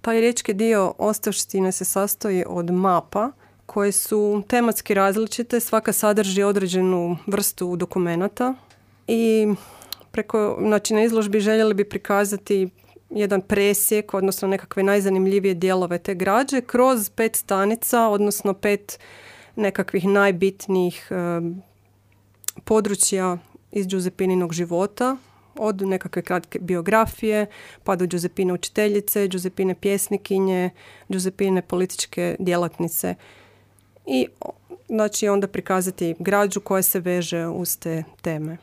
Taj riječki dio ostavštine se sastoji od mapa koje su tematski različite, svaka sadrži određenu vrstu dokumenata i na izložbi željeli bi prikazati jedan presjek, odnosno nekakve najzanimljivije dijelove te građe kroz 5 stanica, odnosno 5 nekakvih najbitnijih područja iz Giuseppininog života, od nekakve kratke biografije, pa do Giuseppine učiteljice, Giuseppine pjesnikinje, Giuseppine političke djelatnice. I onda prikazati građu koja se veže uz te teme.